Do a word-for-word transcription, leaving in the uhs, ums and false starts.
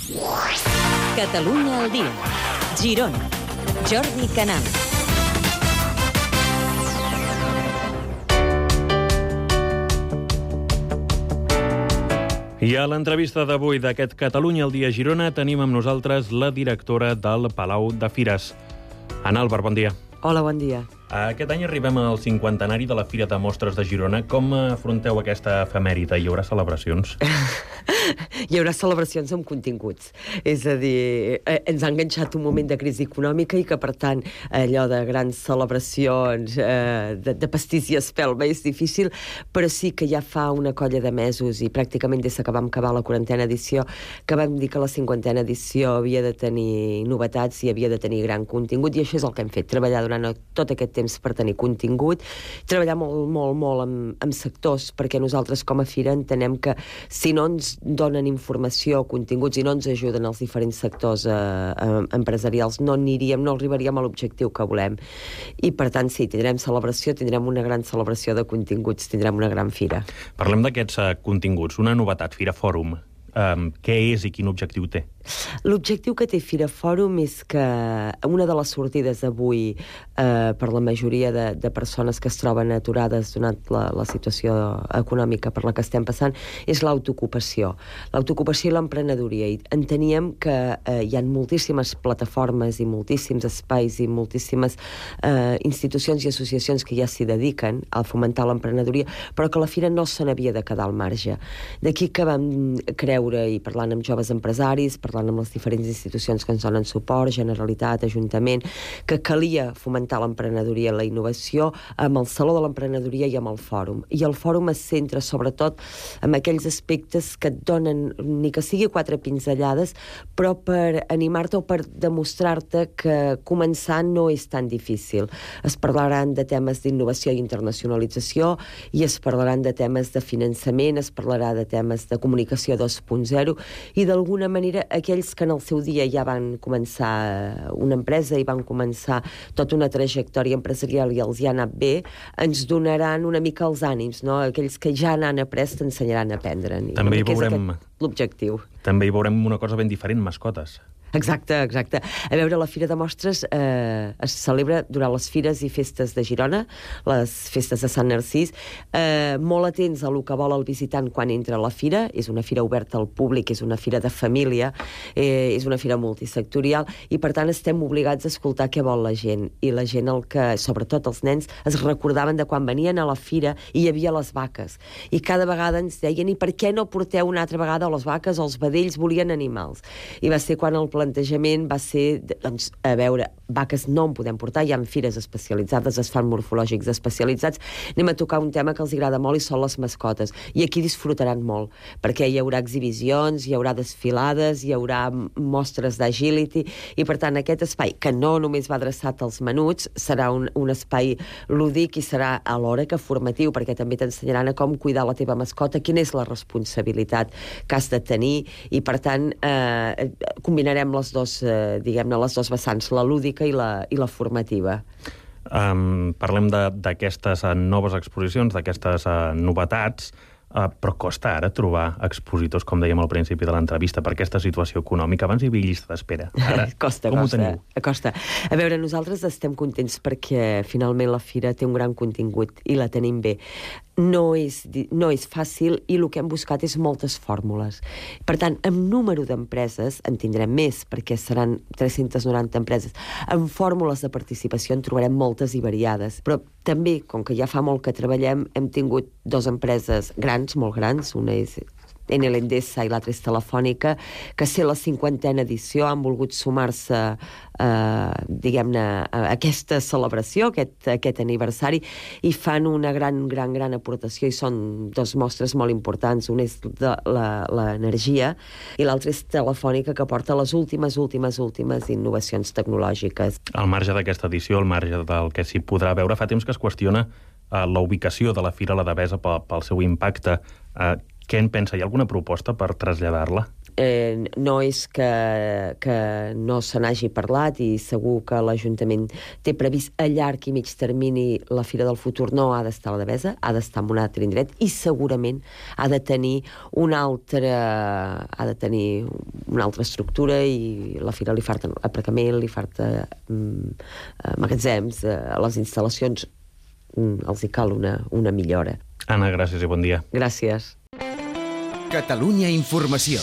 Catalunya al dia. Girona. Jordi Canal. I a l'entrevista d'avui d'aquest Catalunya al dia Girona tenim amb nosaltres la directora del Palau de Fires. Ana Álvar, bon dia. Hola, bon dia. Aquest any arribem al cinquantenari de la Fira de Mostres de Girona. Com afronteu aquesta efemèride? Hi haurà celebracions? Hi haurà celebracions amb continguts. És a dir, eh, ens ha enganxat un moment de crisi econòmica i que, per tant, allò de grans celebracions, eh, de, de pastís i espelma és difícil, però sí que ja fa una colla de mesos i pràcticament des que vam acabar la quarantena edició que vam dir que la cinquantena edició havia de tenir novetats i havia de tenir gran contingut, i això és el que hem fet, treballar durant tot aquest temps per tenir contingut, treballar molt, molt, molt amb, amb sectors, perquè nosaltres com a Fira entenem que si no ens donen informació, continguts, i no ens ajuden els diferents sectors eh, eh, empresarials, no aniríem, no arribaríem a l'objectiu que volem. I per tant, sí, tindrem celebració, tindrem una gran celebració de continguts, tindrem una gran fira. Parlem d'aquests uh, continguts. Una novetat, Fira Fòrum. Um, què és i quin objectiu té? L'objectiu que té Fira Fòrum és que una de les sortides d'avui eh, per la majoria de, de persones que es troben aturades donat la, la situació econòmica per la que estem passant és l'autoocupació. L'autoocupació i l'emprenedoria. I enteníem que eh, hi ha moltíssimes plataformes i moltíssims espais i moltíssimes eh, institucions i associacions que ja s'hi dediquen a fomentar l'emprenedoria, però que la Fira no se n'havia de quedar al marge. D'aquí que vam creure, i parlant amb joves empresaris, parlant amb les diferents institucions que ens donen suport, Generalitat, Ajuntament, que calia fomentar l'emprenedoria i la innovació amb el Saló de l'Emprenedoria i amb el Fòrum. I el Fòrum es centra sobretot en aquells aspectes que et donen, ni que sigui quatre pinzellades, però per animar-te o per demostrar-te que començar no és tan difícil. Es parlaran de temes d'innovació i internacionalització, i es parlaran de temes de finançament, es parlarà de temes de comunicació dos punt zero, i d'alguna manera aquells que en el seu dia ja van començar una empresa i van començar tota una trajectòria empresarial i els hi ha anat bé, ens donaran una mica els ànims, no? Aquells que ja n'han après t'ensenyaran a aprendre. També hi veurem l'objectiu. També hi veurem una cosa ben diferent, mascotes. Exacte, exacte. A veure, la Fira de Mostres eh, es celebra durant les fires i festes de Girona, les festes de Sant Narcís, eh, molt atents a lo que vol el visitant quan entra a la fira. És una fira oberta al públic, és una fira de família, eh, és una fira multisectorial, i per tant estem obligats a escoltar què vol la gent. I la gent, el que, sobretot els nens, es recordaven de quan venien a la fira i hi havia les vaques. I cada vegada ens deien, i per què no porteu una altra vegada les vaques o els vedells? Volien animals. I va ser quan el plantejament va ser, doncs, a veure, vaques no en podem portar, hi ha fires especialitzades, es fan morfològics especialitzats, anem a tocar un tema que els agrada molt i són les mascotes, i aquí disfrutaran molt, perquè hi haurà exhibicions, hi haurà desfilades, hi haurà mostres d'agility, i per tant aquest espai, que no només va adreçat als menuts, serà un, un espai lúdic i serà alhora que formatiu, perquè també t'ensenyaran a com cuidar la teva mascota, quina és la responsabilitat que has de tenir, i per tant eh, combinarem les dos, eh, diguem-ne, les dos vessants, la lúdica i la, i la formativa. Um, parlem d'aquestes uh, noves exposicions, d'aquestes uh, novetats, uh, però costa ara trobar expositors, com dèiem al principi de l'entrevista, per aquesta situació econòmica. Abans hi havia llista d'espera. Ara, costa, com costa, ho teniu? Costa. A veure, nosaltres estem contents perquè finalment la Fira té un gran contingut i la tenim bé. No és, no és fàcil, i el que hem buscat és moltes fórmules. Per tant, amb número d'empreses en tindrem més, perquè seran tres-centes noranta empreses. Amb fórmules de participació en trobarem moltes i variades. Però també, com que ja fa molt que treballem, hem tingut dues empreses grans, molt grans, una és Enel Endesa i l'altra és Telefònica, que ser la cinquantena edició han volgut sumar-se eh, diguem-ne a aquesta celebració, aquest, aquest aniversari, i fan una gran, gran, gran aportació, i són dos mostres molt importants. Una és l'energia i l'altra és Telefònica, que porta les últimes, últimes, últimes innovacions tecnològiques. Al marge d'aquesta edició, al marge del que s'hi podrà veure, fa temps que es qüestiona uh, la ubicació de la Fira a la Devesa pel, pel seu impacte. Uh, Què en pensa? Hi ha alguna proposta per traslladar-la? Eh, no és que, que no se n'hagi parlat i segur que l'Ajuntament té previst a llarg i mig termini la Fira del Futur no ha d'estar a la Devesa, ha d'estar en un altre indret i segurament ha de tenir una altra, ha de tenir una altra estructura i la Fira li falta aparcament, li falta mm, magatzems, eh, a les instal·lacions mm, els hi cal una, una millora. Anna, gràcies i bon dia. Gràcies. Catalunya Informació.